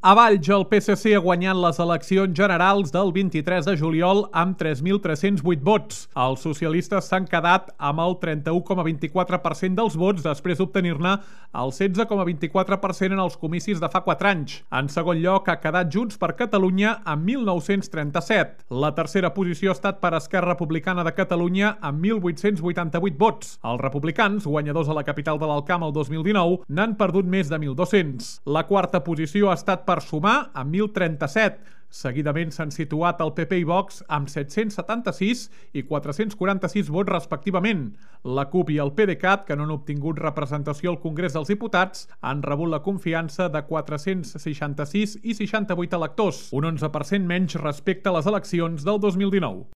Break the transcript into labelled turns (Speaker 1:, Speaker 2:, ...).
Speaker 1: A Valls, el PSC ha guanyat les eleccions generals del 23 de juliol amb 3.308 vots. Els socialistes s'han quedat amb el 31,24% dels vots després d'obtenir-ne el 16,24% en els comicis de fa 4 anys. En segon lloc ha quedat Junts per Catalunya amb 1.937. La tercera posició ha estat per Esquerra Republicana de Catalunya amb 1.888 vots. Els republicans, guanyadors a la capital de l'Alcamp el 2019, n'han perdut més de 1.200. La quarta posició ha estat per Sumar amb 1.037. Seguidament s'han situat el PP i Vox amb 776 i 446 vots respectivament. La CUP i el PDeCAT, que no han obtingut representació al Congrés dels Diputats, han rebut la confiança de 466 i 68 electors, un 11% menys respecte a les eleccions del 2019.